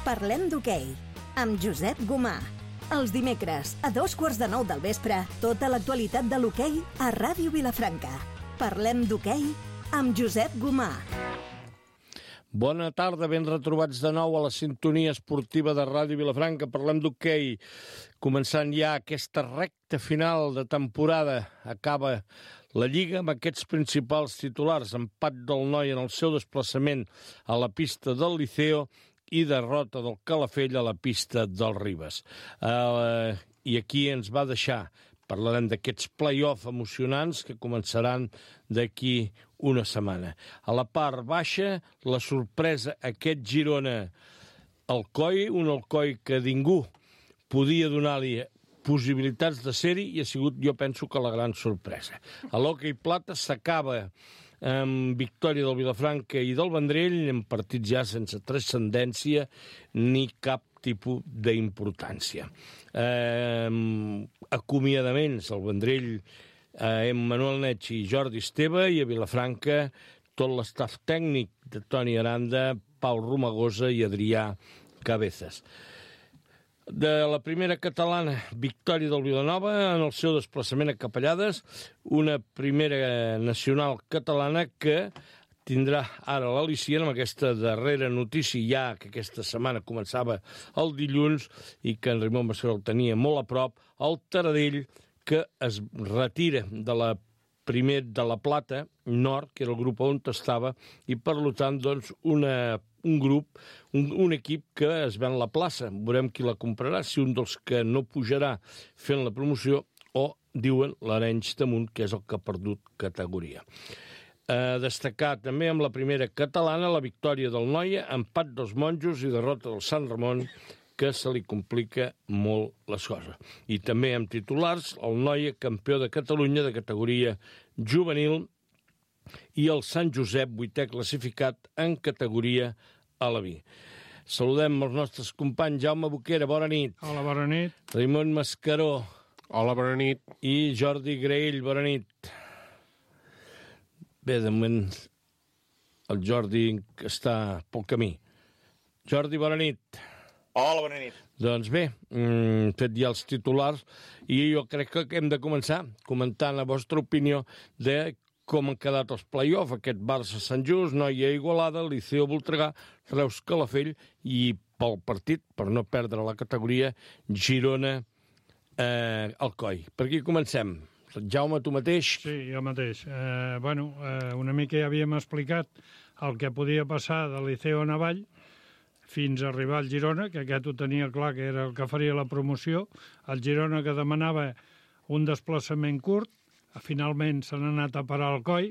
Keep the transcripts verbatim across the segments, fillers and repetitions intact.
Parlem d'hoquei, amb Josep Gomà. Els dimecres, a dos quarts de nou del vespre, tota l'actualitat de l'hoquei a Ràdio Vilafranca. Parlem d'hoquei amb Josep Gomà. Bona tarda, ben retrobats de nou a la sintonia esportiva de Ràdio Vilafranca. Parlem d'hoquei, començant ja aquesta recta final de temporada. Acaba la Lliga amb aquests principals titulars. Empat del Noi en el seu desplaçament a la pista del Liceo i derrota del Calafell a la pista del Ribes. Uh, I aquí ens va deixar. Parlarem d'aquests play-off emocionants que començaran d'aquí una setmana. A la part baixa, la sorpresa, aquest Girona-Alcoi, un Alcoi que ningú podia donar-li possibilitats de ser-hi i ha sigut, jo penso, que la gran sorpresa. A l'hoquei plata s'acaba amb victòria del Vilafranca i del Vendrell, en partits ja sense transcendència ni cap tipus d'importància. Eh, acomiadaments al Vendrell, eh, Emmanuel Neig i Jordi Esteve, i a Vilafranca tot l'estaf tècnic de Toni Aranda, Pau Romagosa i Adrià Cabezas. De la primera catalana, victòria del Vilanova en el seu desplaçament a Capellades, una primera nacional catalana que tindrà ara l'al·licient amb aquesta darrera notícia, ja que aquesta setmana començava el dilluns i que en Ramon Basseró el tenia molt a prop, el Taradell, que es retira de la primer de la Plata Nord, que era el grup on estava, i per tant, doncs, una, un grup, un, un equip que es ven la plaça. Veurem qui la comprarà, si un dels que no pujarà fent la promoció o, diuen, l'Arenys de Munt, que és el que ha perdut categoria. A destacar també amb la primera catalana la victòria del Noia, empat dels Monjos i derrota del Sant Ramon, que se li complica molt les coses. I també amb titulars, el Noia, campió de Catalunya de categoria juvenil, i el Sant Josep, vuitè classificat en categoria alaví. Saludem els nostres companys. Jaume Boquera, bona nit. Hola, bona nit. Raimon Mascaró. Hola, bona nit. I Jordi Graell, bona nit. Bé, de moment el Jordi està pel camí. Jordi, bona nit. Hola, bona nit. Doncs bé, hem fet ja els titulars i jo crec que hem de començar comentant la vostra opinió de com han quedat els play-off, aquest Barça-Sant Just, Noia Igualada, Liceo Voltregà, Reus Calafell i pel partit, per no perdre la categoria, Girona eh, Alcoi. Per aquí comencem. Jaume, tu mateix? Sí, jo mateix. Eh, bueno, eh, una mica ja havíem explicat el que podia passar de Liceo a Navall fins a arribar al Girona, que aquest ho tenia clar que era el que faria la promoció. El Girona, que demanava un desplaçament curt, finalment s'han anat a parar al Alcoi.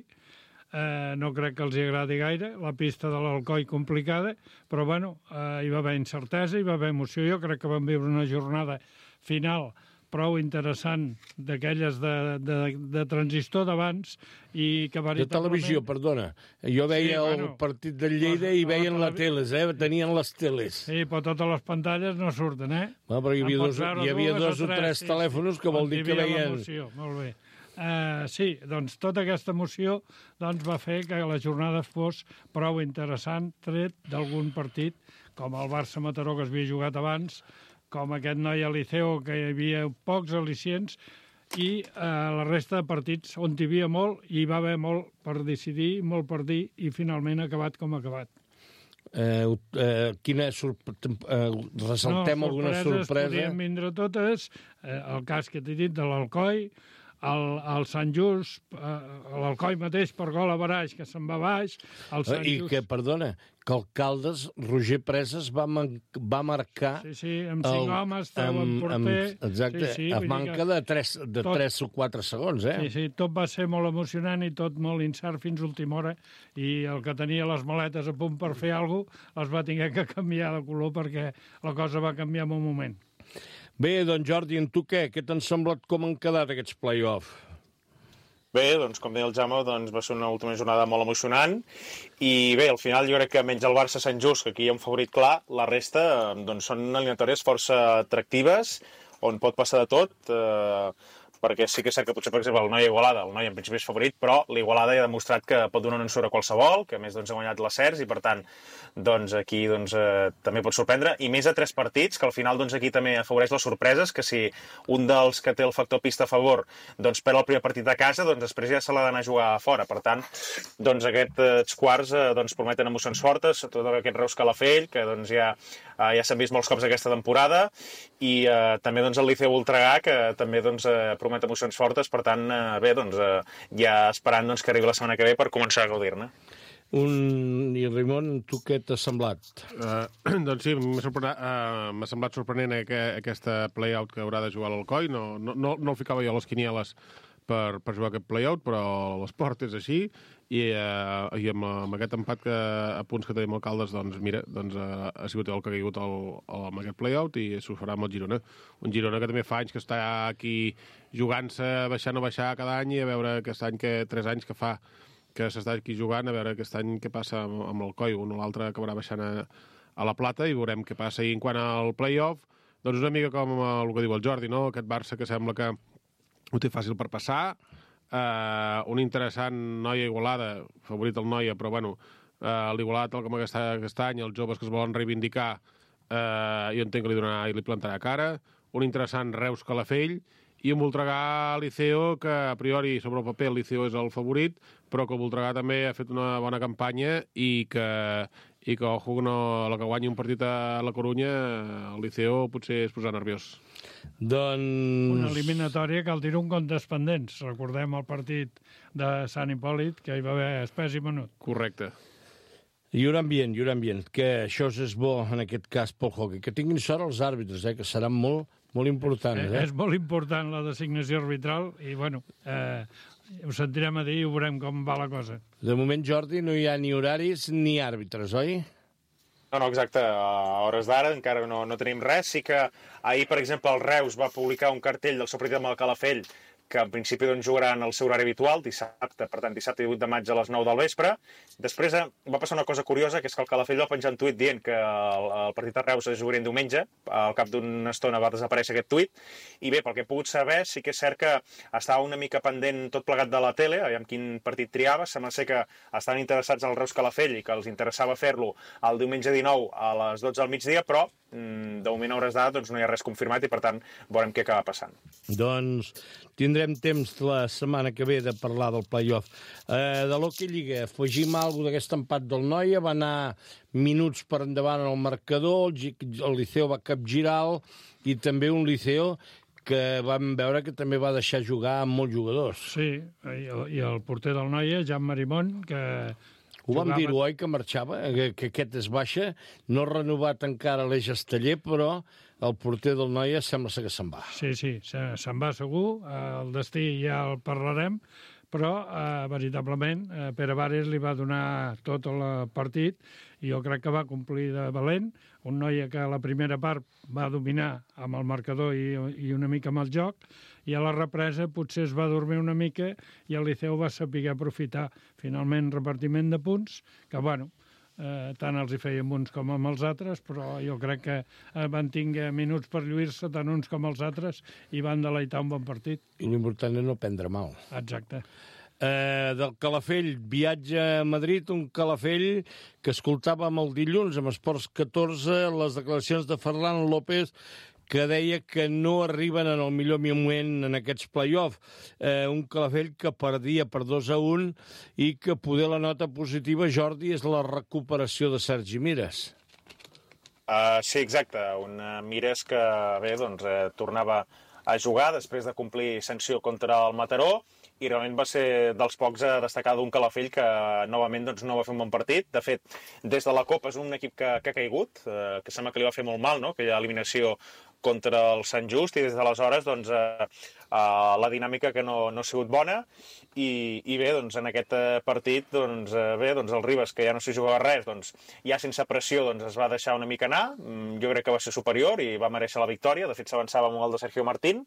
Eh, no crec que els agradi gaire, la pista de l'Alcoi complicada, però bueno, eh, hi va haver incertesa, hi va haver emoció. Jo crec que vam viure una jornada final prou interessant, d'aquelles de, de, de transistor d'abans i que veritablement... De televisió, perdona. Jo veia sí, bueno, el partit del Lleida i veien les teles, eh? Tenien les teles. Sí, però totes les pantalles no surten, eh? No, però hi havia, dos, hi havia dos o tres sí, telèfons que vol dir que veien... Molt bé. Uh, sí, doncs tota aquesta emoció doncs, va fer que la jornada fos prou interessant, tret d'algun partit, com el Barça-Mataró, que es havia jugat abans, com aquest Noia Liceo, que hi havia pocs al·licients, i eh, la resta de partits on hi havia molt, i hi va haver molt per decidir, molt per dir, i finalment ha acabat com ha acabat. Eh, eh, quina sorpre... eh, ressaltem no, alguna sorpresa? Podien vindre totes, eh, el cas que t'he dit de l'Alcoi, el, el Sant Just, eh, l'Alcoi mateix per gol a Baraix, que se'n va baix. El Sant I Just... que, perdona, que el Caldes, Roger Preses, va, man va marcar... Sí, sí, amb cinc el, homes, estava en porter... Amb, exacte, sí, sí, a manca que... de, tres, de tot, tres o quatre segons, eh? Sí, sí, tot va ser molt emocionant i tot molt incert fins a última hora, i el que tenia les maletes a punt per fer alguna cosa, les va tenir que canviar de color perquè la cosa va canviar en un moment. Bé, doncs Jordi, en tu què? Què t'han semblat com han quedat aquests play-off? Bé, doncs, com deia el Jaume, doncs, va ser una última jornada molt emocionant i bé, al final jo crec que menys el Barça-Sant Just, que aquí hi ha un favorit clar, la resta doncs, són eliminatòries força atractives, on pot passar de tot. Eh, perquè sí que és cert que potser, per exemple, el Noia Igualada, el Noia en principi és favorit, però l'Igualada ja ha demostrat que pot donar un ensurt a qualsevol, que a més doncs, ha guanyat les certs i per tant doncs, aquí doncs, eh, també pot sorprendre, i més a tres partits, que al final doncs, aquí també afavoreix les sorpreses, que si un dels que té el factor pista a favor doncs, perd el primer partit a casa, doncs després ja se l'ha d'anar a jugar a fora. Per tant, doncs, aquests quarts eh, doncs, prometen emocions fortes, tot aquest Reus Calafell, que doncs, ja, eh, ja s'han vist molts cops aquesta temporada, i eh, també doncs, el Liceu Voltregà, que també doncs, eh, promet emocions fortes, per tant, eh, bé, doncs, eh, ja esperant doncs, que arribi la setmana que ve per començar a gaudir-ne. Un... I Ramon, tu què t'ha semblat? Uh, doncs sí, m'ha uh, semblat sorprenent aqu aquesta play-out que haurà de jugar l'Alcoi. No, no, no, no el ficava jo a les quinieles per, per jugar aquest play-out, però l'esport és així, i, uh, i amb, amb aquest empat que, a punts que tenim alcaldes, doncs mira, doncs, uh, ha sigut el que ha caigut el, el, amb aquest play-out i s'ho farà amb el Girona. Un Girona que també fa anys que està aquí jugant-se, baixant o baixar cada any, i a veure aquest any, que tres anys que fa que s'està aquí jugant, a veure aquest any què passa amb, amb l'Alcoi. Un o l'altre acabarà baixant a, a la Plata i veurem què passa. I en quant al play-off, doncs una mica com el que diu el Jordi, no? Aquest Barça que sembla que ho té fàcil per passar, eh, un interessant Noia Igualada, favorit el Noia, però bueno, eh, l'Igualada tal com aquest, aquest any, els joves que es volen reivindicar, eh, jo entenc que li donarà i li plantarà cara, un interessant Reus Calafell, i un Voltregà Liceo, que a priori sobre el paper el Liceo és el favorit, però que el Voltregà també ha fet una bona campanya i que, i que ojo, no, a la que guanyi un partit a la Corunya, el Liceo potser es posarà nerviós. Doncs... Una eliminatòria que el tira un comptes pendents. Recordem el partit de Sant Hipòlit, que hi va haver espès i menut. Correcte. I un ambient, i un ambient, que això és bo en aquest cas pel hockey. Que tinguin sort els àrbitres, eh, que seran molt, molt importants. Eh? És molt important la designació arbitral i, bueno, eh, ho sentirem a dir i ho veurem com va la cosa. De moment, Jordi, no hi ha ni horaris ni àrbitres, oi? No, no, exacte. A hores d'ara encara no, no tenim res. Sí que ahir, per exemple, el Reus va publicar un cartell del seu partit amb el Calafell, que en principi doncs, jugaran al seu horari habitual, dissabte, per tant, dissabte divuit de maig a les nou del vespre. Després eh, va passar una cosa curiosa, que és que el Calafell va penjar un tuit dient que el, el partit de Reus es jugaria diumenge. Al cap d'una estona va desaparèixer aquest tuit. I bé, pel que he pogut saber, sí que és cert que estava una mica pendent tot plegat de la tele, aviam quin partit triava. Sembla ser que estaven interessats al Reus Calafell i que els interessava fer-lo el diumenge dinou a les dotze del migdia, però mm, de moment a hores d'ara doncs, no hi ha res confirmat i, per tant, veurem què acaba passant. Doncs tindrem temps la setmana que ve de parlar del play-off. Eh, de l'Hockey Lliga, afegim alguna cosa d'aquest empat del Noia, va anar minuts per endavant en el marcador, el, el Liceo va capgirar i també un Liceo que vam veure que també va deixar jugar amb molts jugadors. Sí, i el, i el porter del Noia, Jan Marimón, que... Ho vam jugava... dir, oi, que marxava, que, que aquest es baixa, no ha renovat encara l'Eix Esteller, però el porter del Noia sembla ser que se'n va. Sí, sí, se, se'n va segur, el destí ja el parlarem, però eh, veritablement eh, Pere Vares li va donar tot el partit i jo crec que va complir de valent, un Noia que a la primera part va dominar amb el marcador i, i una mica amb el joc, i a la represa potser es va dormir una mica i el Liceu va saber aprofitar finalment repartiment de punts, que bueno, eh, tant els hi feien uns com amb els altres, però jo crec que eh, van tinguer minuts per lluir-se tant uns com els altres i van deleitar un bon partit. I l'important és no prendre mal. Exacte. Eh, del Calafell, viatge a Madrid, un Calafell que escoltàvem el dilluns amb Esports catorze les declaracions de Ferran López, que deia que no arriben en el millor moment en aquests play-off. Eh, un Calafell que perdia per dos a un i que poder la nota positiva, Jordi, és la recuperació de Sergi Mires. Uh, sí, exacte. Un uh, Mires que, bé, doncs, eh, tornava a jugar després de complir sanció contra el Mataró, i realment va ser dels pocs a destacar d'un Calafell que novament doncs, no va fer un bon partit. De fet, des de la Copa és un equip que, que ha caigut, eh, que sembla que li va fer molt mal, no? Aquella eliminació contra el Sant Just, i des d'aleshores doncs, eh, eh, la dinàmica que no, no ha sigut bona, i, i bé, doncs, en aquest partit doncs, eh, bé, doncs, el Ribas, que ja no s'hi jugava res, doncs, ja sense pressió doncs, es va deixar una mica anar. Jo crec que va ser superior i va mereixer la victòria. De fet, s'avançava amb el de Sergio Martín.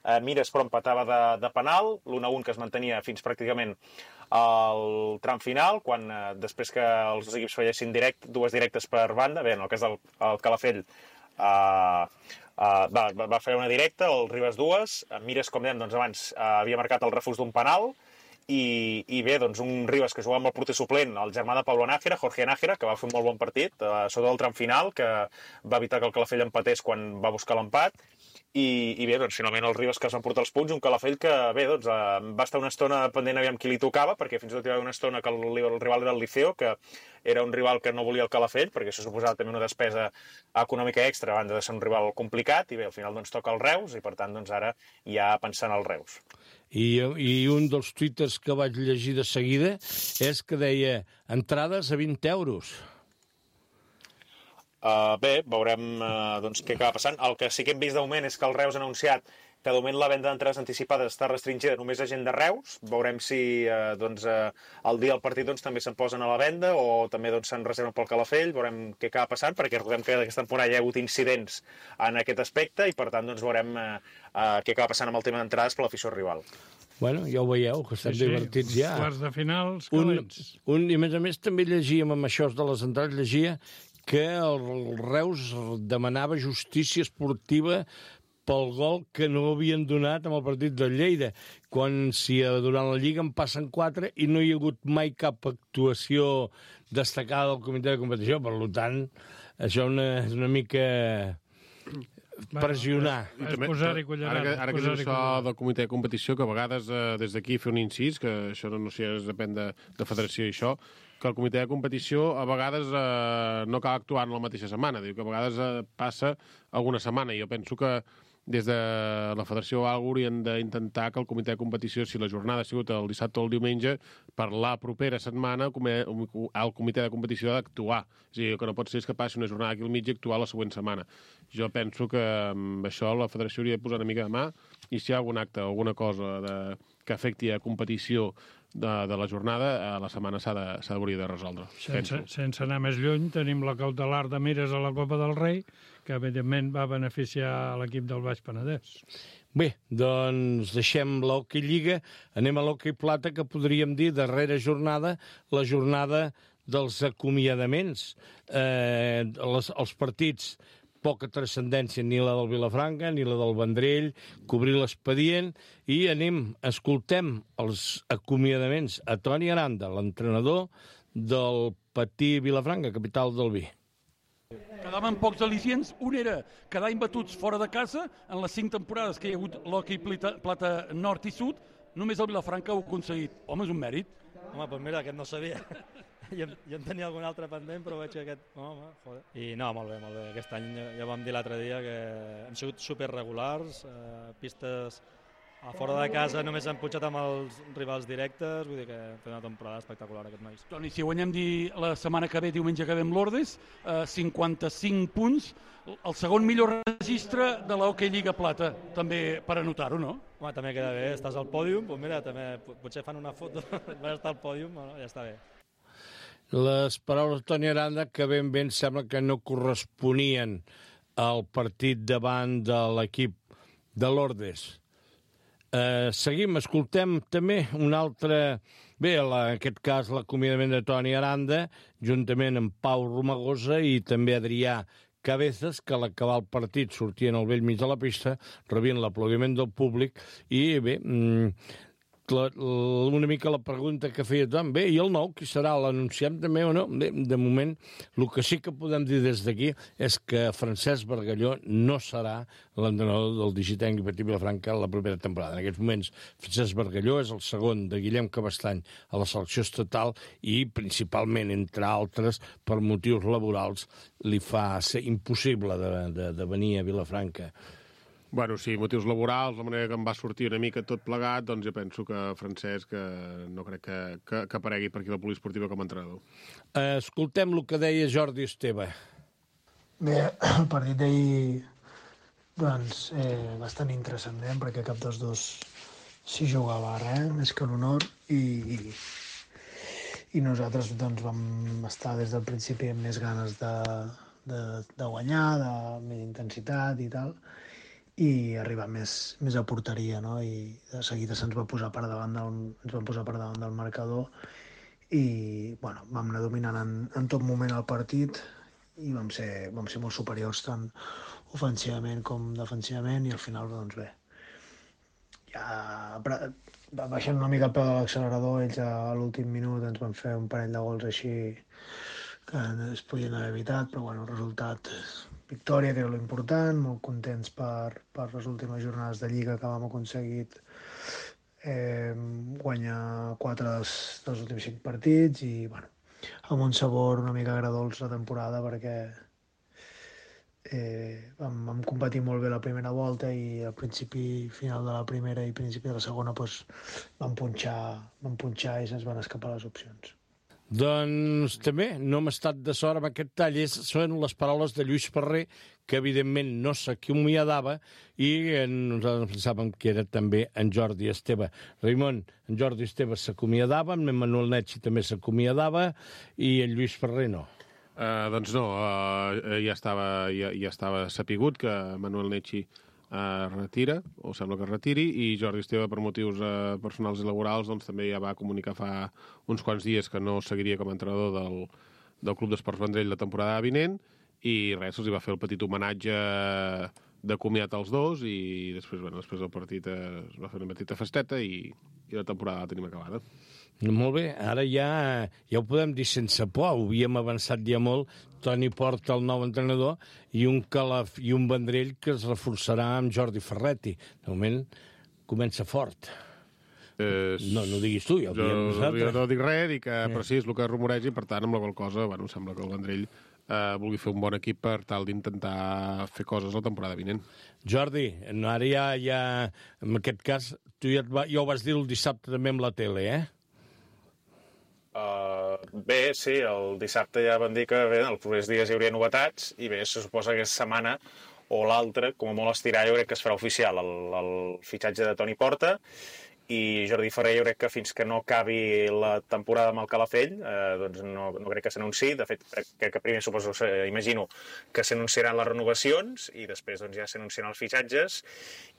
Eh, Mires, però, empatava de, de penal, l'un a un que es mantenia fins pràcticament al tram final, quan eh, després que els dos equips fallessin direct, dues directes per banda, bé, en el cas del el Calafell, Uh, uh, va, va fer una directa, el Ribas dues, Mires, com dèiem, doncs abans uh, havia marcat el refús d'un penal, i, i bé, doncs un Ribas que jugava amb el porter suplent, el germà de Pablo Nájera, Jorge Nájera, que va fer un molt bon partit, uh, sota el tram final, que va evitar que el Calafell empatés quan va buscar l'empat, i, i bé, doncs finalment els Ribas que es van portar els punts, un Calafell que bé, doncs uh, va estar una estona pendent aviam qui li tocava, perquè fins i tot hi va haver una estona que el, el rival era el Liceo, que era un rival que no volia el Calafell, perquè això suposava també una despesa econòmica extra, a banda de ser un rival complicat, i bé, al final doncs toca el Reus, i per tant doncs ara ja pensant al Reus. I, I un dels twitters que vaig llegir de seguida és que deia entrades a vint euros. Uh, bé, veurem uh, doncs, què acaba passant. El que sí que hem vist de moment és que el Reus ha anunciat que de moment la venda d'entrades anticipades està restringida només a gent de Reus. Veurem si uh, doncs, uh, el dia del partit doncs, també se'n posen a la venda o també doncs, se'n reserven pel Calafell. Veurem què acaba passant, perquè recordem que aquesta temporada hi ha hagut incidents en aquest aspecte i per tant doncs, veurem uh, uh, què acaba passant amb el tema d'entrades per l'afició rival. Bueno, ja ho veieu, que estem sí, divertits ja. Quarts de finals, calents. Un, un, I a més a més també llegíem amb això de les entrades, llegia que el Reus demanava justícia esportiva pel gol que no havien donat amb el partit del Lleida, quan si durant la Lliga en passen quatre i no hi ha hagut mai cap actuació destacada del comitè de competició. Per tant, això una, és una mica pressionar. És posar-hi cullerada. Ara que, ara que dius això del comitè de competició, que a vegades eh, des d'aquí fer un incís, que això no, no sé, depèn de, de federació i això, que el comitè de competició a vegades eh, no cal actuar en la mateixa setmana. Diu que a vegades eh, passa alguna setmana. I jo penso que des de la federació o alguna haurien d'intentar que el comitè de competició, si la jornada ha sigut el dissabte o el diumenge, per la propera setmana el comitè de competició ha d'actuar. És a dir, el que no pot ser és que passi una jornada aquí al mig i actuar la següent setmana. Jo penso que amb això la federació hauria de posar una mica de mà i si hi ha algun acte o alguna cosa de, que afecti a competició de, de la jornada, a la setmana s'ha d'hauria de, de resoldre. Sense, sense anar més lluny, tenim la cautelar de Mires a la Copa del Rei, que evidentment va beneficiar l'equip del Baix Penedès. Bé, doncs deixem l'hoquei Lliga, anem a l'hoquei Plata, que podríem dir darrera jornada, la jornada dels acomiadaments. Eh, les, els partits, poca transcendència, ni la del Vilafranca, ni la del Vendrell, cobrir l'expedient, i anem, escoltem els acomiadaments a Toni Aranda, l'entrenador del Patí Vilafranca, capital del vi. Quedaven pocs al·licients. Un era quedar imbatuts fora de casa en les cinc temporades que hi ha hagut l'hoquei Plata nord i sud. Només el Vilafranca ho ha aconseguit. Home, és un mèrit. Home, doncs mira, aquest no sabia. jo, jo en tenia algun altre pendent, però veig que aquest... Home, joder. I no, molt bé, molt bé. Aquest any ja vam dir l'altre dia que hem sigut superregulars, eh, pistes a fora de casa només han punxat amb els rivals directes, vull dir que hem fet una temporada espectacular aquest nois. Toni, si guanyem dir la setmana que ve, diumenge que ve amb l'Ordes, eh, cinquanta-cinc punts, el segon millor registre de l'Hockey Lliga Plata, també per anotar-ho, no? Home, també queda bé, estàs al pòdium, doncs mira, també potser fan una foto, vas estar al pòdium, no? Ja està bé. Les paraules de Toni Aranda, que ben bé em sembla que no corresponien al partit davant de l'equip de l'Ordes. Uh, seguim, escoltem també un altre... Bé, la, en aquest cas l'acomiadament de Toni Aranda, juntament amb Pau Romagosa i també Adrià Cabezas, que a l'acabar el partit sortien al vell mig de la pista, rebien l'aplaudiment del públic, i bé, la, una mica la pregunta que feia tothom, bé, i el nou, qui serà? L'anunciem també o no? Bé, de moment, el que sí que podem dir des d'aquí és que Francesc Bargalló no serà l'entrenador del Digitenc i Patí Vilafranca la propera temporada. En aquests moments, Francesc Bargalló és el segon de Guillem Cabestany a la selecció estatal i, principalment, entre altres, per motius laborals, li fa ser impossible de, de, de venir a Vilafranca. Bueno, sí, motius laborals, la manera que em va sortir una mica tot plegat, doncs jo penso que Francesc eh, no crec que, que, que aparegui per aquí la poliesportiva com a entrenador. Eh, escoltem el que deia Jordi Esteve. Bé, el partit d'ahir doncs, eh, bastant intranscendent, perquè cap dels dos s'hi jugava res, més que l'honor, i, i, i nosaltres doncs, vam estar des del principi amb més ganes de, de, de guanyar, de més intensitat i tal, i arribar més, més a porteria, no? I de seguida se'ns va posar per davant del, ens van posar per davant del marcador i bueno, vam anar dominant en, en tot moment el partit i vam ser, vam ser molt superiors tant ofensivament com defensivament, i al final, doncs bé, ja baixant una mica el peu de l'accelerador, ells a l'últim minut ens van fer un parell de gols així que es podien haver evitat, però bueno, el resultat, victòria, que era l'important, molt contents per, per les últimes jornades de Lliga que vam aconseguir eh, guanyar quatre dels, dels últims cinc partits, i bueno, amb un sabor una mica agradolç la temporada, perquè eh, vam, vam competir molt bé la primera volta, i al principi, final de la primera i principi de la segona, doncs, vam punxar, vam punxar i se'ns van escapar les opcions. Doncs també no hem estat de sort amb aquest tall. Són les paraules de Lluís Ferrer, que evidentment no s'acomiadava, i nosaltres pensàvem que era també en Jordi Esteve. Raimon, en Jordi Esteve s'acomiadava, en Manuel Netxi també s'acomiadava, i en Lluís Ferrer no. Uh, doncs no, uh, ja, estava, ja, ja estava sapigut que Manuel Netxi Uh, retira, o sembla que es retiri, i Jordi Esteve, per motius uh, personals i laborals, doncs també ja va comunicar fa uns quants dies que no seguiria com a entrenador del, del Club d'Esports Vendrell la temporada vinent, i res, se'ls va fer el petit homenatge de comiat als dos, i després, bueno, després del partit uh, es va fer una petita festeta, i, i la temporada la tenim acabada. Molt bé, ara ja, ja ho podem dir sense por, ho havíem avançat ja molt. Toni Porta, el nou entrenador, i un, Calaf, i un Vendrell que es reforçarà amb Jordi Ferretti. De moment comença fort. Eh, no, no ho diguis tu, ja ho diguem nosaltres. Jo no dic res, dic que, eh. però sí, és el que rumoregi, per tant, amb la qual cosa, bueno, sembla que el Vendrell eh, vulgui fer un bon equip per tal d'intentar fer coses la temporada vinent. Jordi, ara ja, ja en aquest cas, tu ja, va, ja ho vas dir el dissabte també amb la tele, eh? Uh, bé, sí, el dissabte ja van dir que bé, en els propers dies hi hauria novetats, i bé, se suposa que aquesta setmana o l'altra, com a molt estirar, jo crec que es farà oficial el, el fitxatge de Toni Porta, i Jordi Ferrer jo crec que fins que no acabi la temporada amb el Calafell eh, doncs no, no crec que s'anunciï. De fet, crec que primer suposo, imagino que s'anunciaran les renovacions i després doncs, ja s'anunciaran els fitxatges.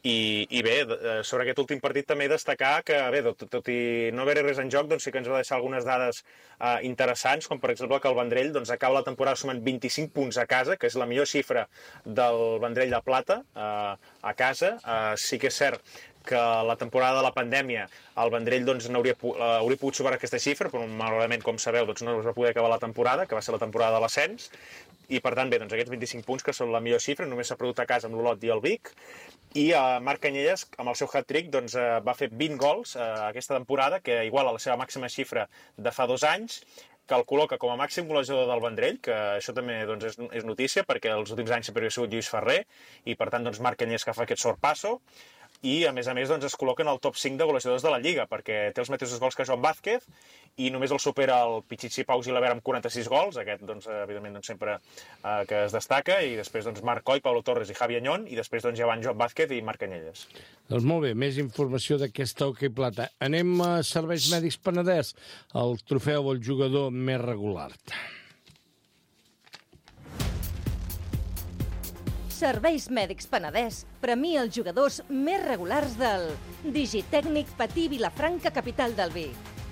I, i bé, sobre aquest últim partit també destacar que, bé, tot, tot i no haver res en joc, doncs sí que ens va deixar algunes dades eh, interessants, com per exemple que el Vendrell doncs, acaba la temporada sumant vint-i-cinc punts a casa, que és la millor xifra del Vendrell de Plata eh, a casa. Eh, sí que és cert que la temporada de la pandèmia el Vendrell doncs, no hauria, hauria pogut superar aquesta xifra, però malauradament, com sabeu, doncs, no es va poder acabar la temporada, que va ser la temporada de l'ascens, i per tant, bé, doncs, aquests vint-i-cinc punts que són la millor xifra, només s'ha perdut a casa amb l'Olot i el Vic, i eh, Marc Canyelles, amb el seu hat-trick, doncs, eh, va fer vint gols eh, aquesta temporada, que iguala la seva màxima xifra de fa dos anys, que el col·loca com a màxim golejador del Vendrell, que això també doncs, és, és notícia, perquè els últims anys sempre havia sigut Lluís Ferrer, i per tant, doncs, Marc Canyelles que fa aquest sorpasso, i a més a més doncs, es col·loca en el top cinc de golejadors de la Lliga, perquè té els mateixos gols que Joan Vázquez, i només el supera el Pichichi Pau Gilabert amb quaranta-sis gols, aquest doncs, evidentment doncs, sempre eh, que es destaca, i després doncs, Marc Coll, Pablo Torres i Javi Añón, i després doncs, ja van Joan Vázquez i Marc Canyelles. Doncs molt bé, més informació d'aquesta Hoquei Plata. Anem a Serveis Mèdics Penedès, el trofeu al jugador més regular. Serveis Mèdics Penedès premia els jugadors més regulars del Digitècnic Patí Vilafranca, capital del vi,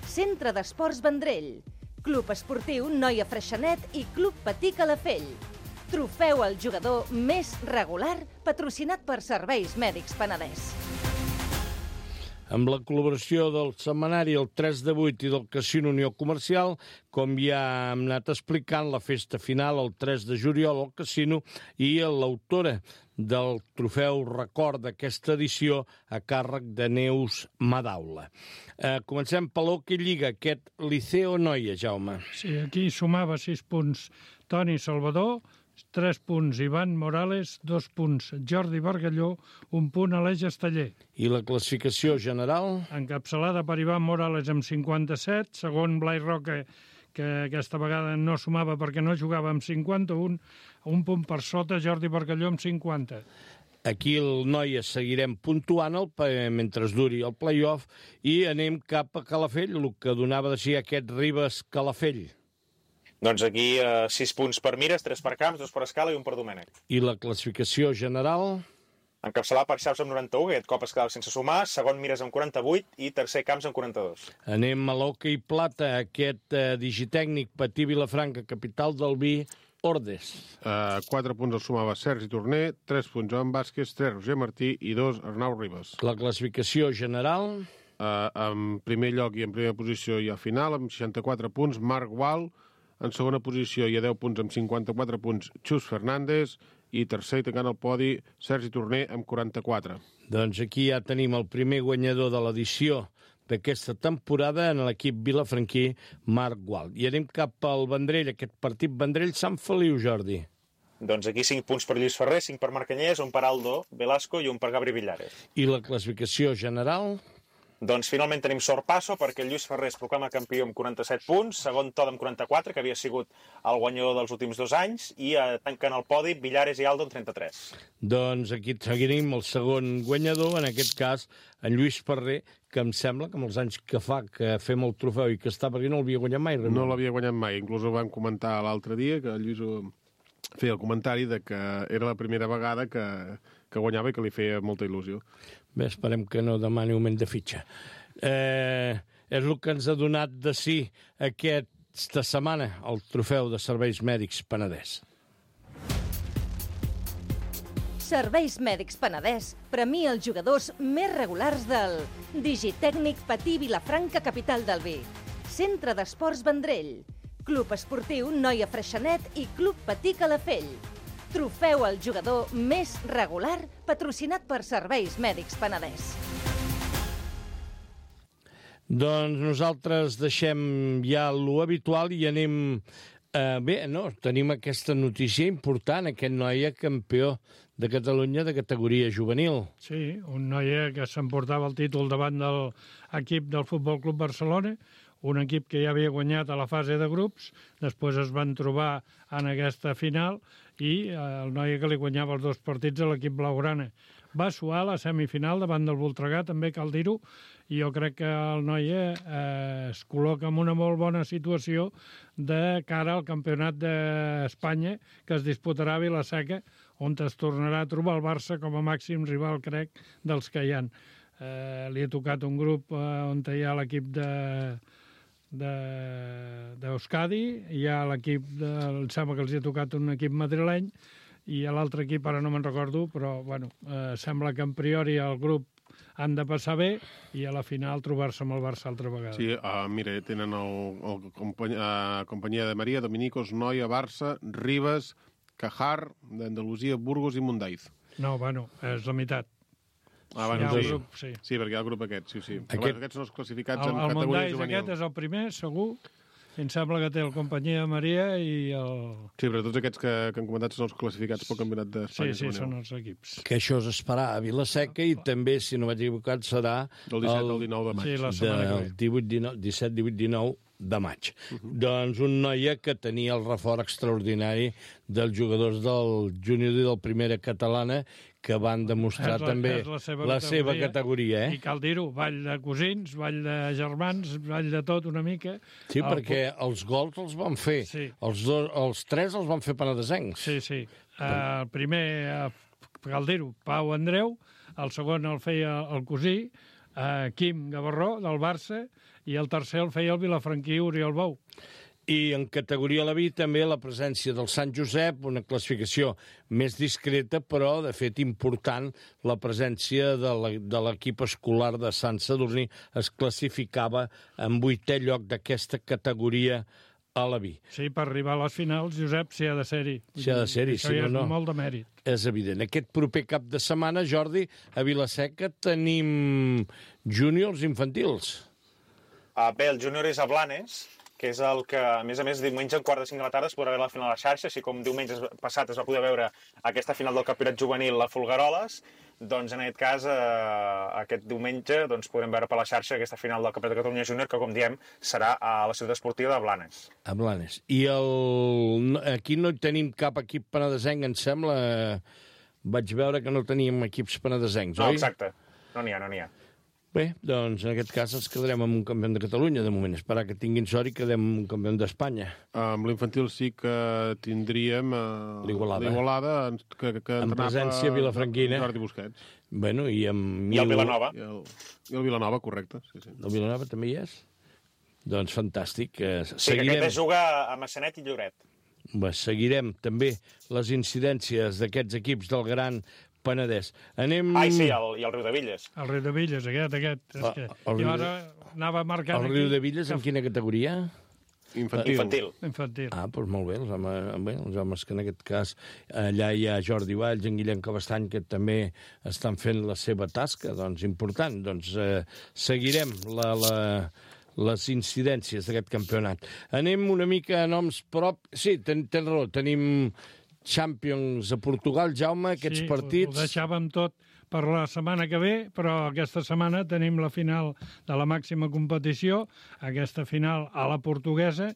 Centre d'Esports Vendrell, Club Esportiu Noia Freixenet i Club Patí Calafell. Trofeu al jugador més regular patrocinat per Serveis Mèdics Penedès. Amb la col·laboració del setmanari El tres de vuit i del Casino Unió Comercial, com ja hem anat explicant, la festa final el tres de juliol al Casino, i l'autora del trofeu record d'aquesta edició a càrrec de Neus Madaula. Eh, comencem per l'Hoquei Lliga, aquest Liceo Noia, Jaume. Sí, aquí sumava sis punts Toni Salvador, tres punts Ivan Morales, dos punts Jordi Bargalló, un punt Aleix Esteller. I la classificació general? Encapçalada per Ivan Morales amb cinquanta-set, segon Blai Roca, que aquesta vegada no sumava perquè no jugava amb cinquanta-un, un punt per sota Jordi Bargalló amb cinquanta. Aquí el Noia seguirem puntuant el, mentre es duri el play-off, i anem cap a Calafell, el que donava de si aquest Ribes Calafell. Doncs aquí eh, sis punts per Mires, tres per Camps, dos per Escala i un per Domènec. I la classificació general? Encapçalat per Xaus amb noranta-u, aquest cop es quedava sense sumar, segon Mires amb quaranta-vuit i tercer Camps amb quaranta-dos. Anem a l'Hoquei Plata, aquest eh, Digitècnic Patí Vilafranca, capital del vi, Ordes. Uh, quatre punts els sumava Sergi Torner, tres punts Joan Vázquez, tres Roger Martí i dos Arnau Ribas. La classificació general... Uh, en primer lloc i en primera posició i a final, amb seixanta-quatre punts, Marc Gual. En segona posició i a deu punts, amb cinquanta-quatre punts, Xus Fernández. I tercer, tancant el podi, Sergi Torner, amb quaranta-quatre. Doncs aquí ja tenim el primer guanyador de l'edició d'aquesta temporada en l'equip vilafranquí, Marc Gual. I anem cap al Vendrell, aquest partit Vendrell-Sant Feliu, Jordi. Doncs aquí cinc punts per Lluís Ferrer, cinc per Marcanyès, un per Aldo Velasco i un per Gabri Villares. I la classificació general... Doncs finalment tenim sorpasso perquè el Lluís Ferrer es proclama campió amb quaranta-set punts, segon Todd amb quaranta-quatre, que havia sigut el guanyador dels últims dos anys, i eh, tanquen el podi Villares i Aldo amb trenta-tres. Doncs aquí seguirem el segon guanyador, en aquest cas en Lluís Ferrer, que em sembla que amb els anys que fa que fem el trofeu i que està per aquí no l'havia guanyat mai. No l'havia guanyat mai, inclús ho vam comentar l'altre dia, que el Lluís feia el comentari de que era la primera vegada que, que guanyava i que li feia molta il·lusió. Bé, esperem que no demani augment de fitxa. Eh, és el que ens ha donat de sí aquesta setmana el trofeu de Serveis Mèdics Penedès. Serveis Mèdics Penedès premia els jugadors més regulars del Digitècnic Patí Vilafranca, capital del vi, Centre d'Esports Vendrell, Club Esportiu Noia Freixenet i Club Patí Calafell. Trofeu al jugador més regular patrocinat per Serveis Mèdics Penedès. Doncs nosaltres deixem ja lo habitual i anem... Eh, bé, no, tenim aquesta notícia important, aquest noia campió de Catalunya de categoria juvenil. Sí, un noia que s'emportava el títol davant de l'equip del Futbol Club Barcelona, un equip que ja havia guanyat a la fase de grups, després es van trobar en aquesta final i el noia que li guanyava els dos partits a l'equip blaugrana. Va suar la semifinal davant del Voltregà, també cal dir-ho, i jo crec que el noia eh, es col·loca en una molt bona situació de cara al campionat d'Espanya que es disputarà a Vila-seca, on es tornarà a trobar el Barça com a màxim rival, crec, dels que hi ha. Eh, li ha tocat un grup eh, on hi ha l'equip de... d'Euskadi, hi ha l'equip, de, em sembla que els ha tocat un equip madrileny, i a l'altre equip ara no me'n recordo, però bueno, eh, sembla que en priori el grup han de passar bé i a la final trobar-se amb el Barça altra vegada. Sí, uh, mira, tenen el, el company, uh, companyia de Maria, Dominicos, Noia, Barça, Ribes, Cajar, d'Andalusia, Burgos i Mundaiz. No, bueno, és la meitat. Ah, bueno, sí, sí. Grup, sí. Sí, perquè hi ha el grup aquest, sí, sí. Aquest... Bueno, aquests són els classificats el, en el categoria Mundaiz juvenil. aquest és el primer, segur. Em sembla que té el companyia de Maria i el... Sí, però tots aquests que, que han comentat són els classificats pel Campionat d'Espanya. Sí, sí, són els equips. Que això es farà a Vila-seca i també, si no vaig equivocat, serà... Del disset al dinou de maig. Sí, la setmana que ve. Del divuit, dinou, disset, divuit, dinou de maig. Uh -huh. Doncs un noia que tenia el reforç extraordinari dels jugadors del júnior i del primera catalana que van demostrar la, també la, seva, la categoria, seva categoria. Eh? I cal dir-ho, ball de cosins, ball de germans, ball de tot una mica. Sí, el... perquè els gols els van fer. Sí. Els, dos, els tres els van fer penedesencs. Sí, sí. Uh, el primer, uh, cal dir-ho, Pau Andreu, el segon el feia el cosí, uh, Quim Gavarró, del Barça, i el tercer el feia el vilafranquí Oriol Bou. I en categoria a la B també la presència del Sant Josep, una classificació més discreta, però de fet important, la presència de l'equip escolar de Sant Sadurní es classificava en vuitè lloc d'aquesta categoria a la B. Sí, per arribar a les finals, Josep, s'hi ha de ser-hi. S'hi ha de ser-hi, si no, no. És molt de mèrit. És evident. Aquest proper cap de setmana, Jordi, a Vila-seca tenim júniors infantils. Uh, bé, el júnior és a Blanes, que és el que, a més a més, diumenge a quart de cinc de la tarda es podrà veure la final a la xarxa, així com diumenge passat es va poder veure aquesta final del campionat juvenil a Folgueroles, doncs en aquest cas, eh, aquest diumenge doncs, podrem veure per la xarxa aquesta final del campionat de Catalunya Júnior, que com diem serà a la ciutat esportiva de Blanes. A Blanes. I el... aquí no tenim cap equip penedesenc, em sembla. Vaig veure que no teníem equips penedesencs, no, oi? Exacte. No n'hi ha, no n'hi ha. Bé, doncs en aquest cas ens quedarem amb un campió de Catalunya, de moment. Esperar que tinguin sort i quedem un campió d'Espanya. Amb l'infantil sí que tindríem uh, l'Igualada, que, que en presència vilafranquina. Jordi Busquets. Bueno, i, amb, I el Vilanova. I el, i el Vilanova, correcte. Sí, sí. El Vilanova també hi és? Doncs fantàstic. Sí, Seguirem... que aquest es juga a Massanet i Lloret. bé, seguirem també les incidències d'aquests equips del Gran Penedès. Anem... Ai, sí, el, i el Riudevilles. El Riudevilles, aquest, aquest. És Ah, que... el Jo ara anava marcant El aquí... Riudevilles, en quina categoria? Infantil. Infantil. Infantil. Ah, doncs molt bé, els homes, bé, els homes que en aquest cas allà hi ha Jordi Valls, en Guillem Cabestany, que també estan fent la seva tasca, doncs important. Doncs eh, seguirem la, la, les incidències d'aquest campionat. Anem una mica a noms prop... Sí, ten, ten raó, tenim Champions a Portugal, Jaume, aquests sí, partits... ho deixàvem tot per la setmana que ve, però aquesta setmana tenim la final de la màxima competició, aquesta final a la portuguesa.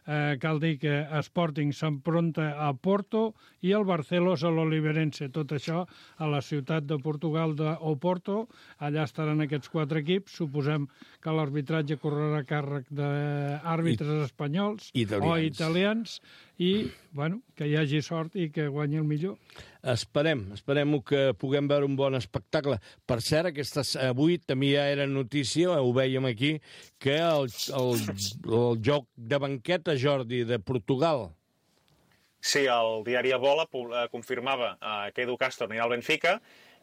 Eh, cal dir que Sporting s'enfronta a Porto i el Barcelos a l'Oliverense. Tot això a la ciutat de Portugal d'Oporto. Allà estaran aquests quatre equips. Suposem que l'arbitratge correrà a càrrec d'àrbitres espanyols italians. o italians i, bueno, que hi hagi sort i que guanyi el millor. Esperem, esperem que puguem veure un bon espectacle. Per cert, aquesta, avui també ja era notícia, ho vèiem aquí, que el, el, el joc de banqueta, Jordi, de Portugal... Sí, el diari Bola confirmava eh, que Edu Castro anirà al Benfica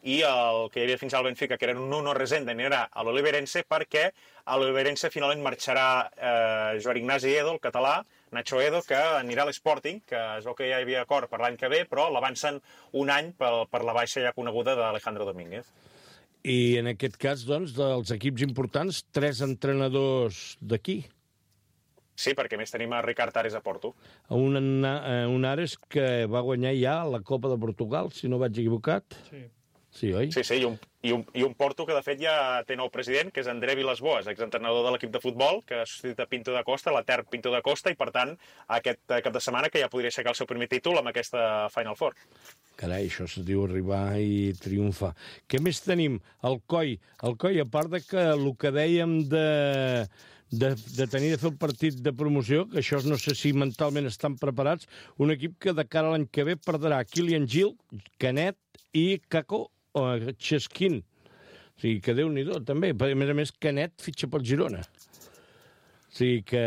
i el que hi havia fins al Benfica, que era un Nuno Resende, anirà a l'Oliverense perquè a l'Oliverense finalment marxarà eh, Joan Ignasi Edo, el català, Nacho Edo, que anirà a l'Sporting, que es veu que ja hi havia acord per l'any que ve, però l'avancen un any per, per la baixa ja coneguda d'Alejandro Domínguez. I en aquest cas, doncs, dels equips importants, tres entrenadors d'aquí. Sí, perquè més tenim a Ricard Ares a Porto. Un, un Ares que va guanyar ja la Copa de Portugal, si no vaig equivocat. Sí. Sí, oi? Sí, sí, i un, i, un, i un Porto que de fet ja té nou president, que és André Vilas-Boas, exentrenador de l'equip de futbol, que ha substituït a Pinto da Costa, l'etern Pinto da Costa, i per tant, aquest cap de setmana que ja podria aixecar el seu primer títol amb aquesta Final Four. Carai, això se diu arribar i triomfar. Què més tenim? El Coi. El Coi, a part de que el que dèiem de... De, de tenir de fer el partit de promoció, que això no sé si mentalment estan preparats, un equip que de cara a l'any que ve perdrà Kilian Gil, Canet i Kako o Cheskin. O sigui, que Déu-n'hi-do, també. A més a més, Canet fitxa pel Girona. O sigui que...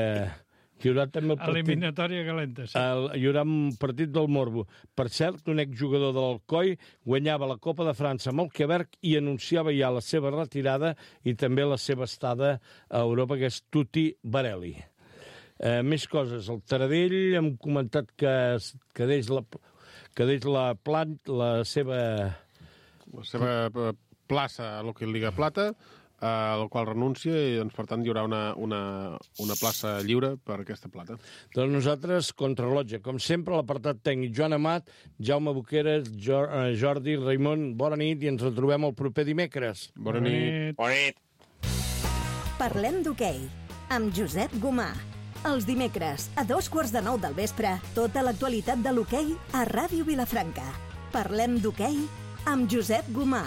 Hi haurà també el partit... Eliminatòria calenta, sí. El, hi haurà un partit del Morbo. Per cert, un exjugador de l'Alcoi guanyava la Copa de França amb el Quebec i anunciava ja la seva retirada i també la seva estada a Europa, que és Tuti Barelli. Eh, més coses. El Taradell hem comentat que, que deix la, que deix la, plant, la seva... La seva plaça a l'Hockey Liga Plata, al qual renuncia i, doncs, per tant, hi haurà una, una, una plaça lliure per aquesta plata. Doncs nosaltres, contrarrellotge, com sempre, l'apartat tècnic Joan Amat, Jaume Boqueras, Jordi, Raimon, bona nit i ens retrobem el proper dimecres. Bona nit. Bona nit. Parlem d'hoquei, amb Josep Gomà. Els dimecres, a dos quarts de nou del vespre, tota l'actualitat de l'hoquei a Ràdio Vilafranca. Parlem d'hoquei amb Josep Gomà.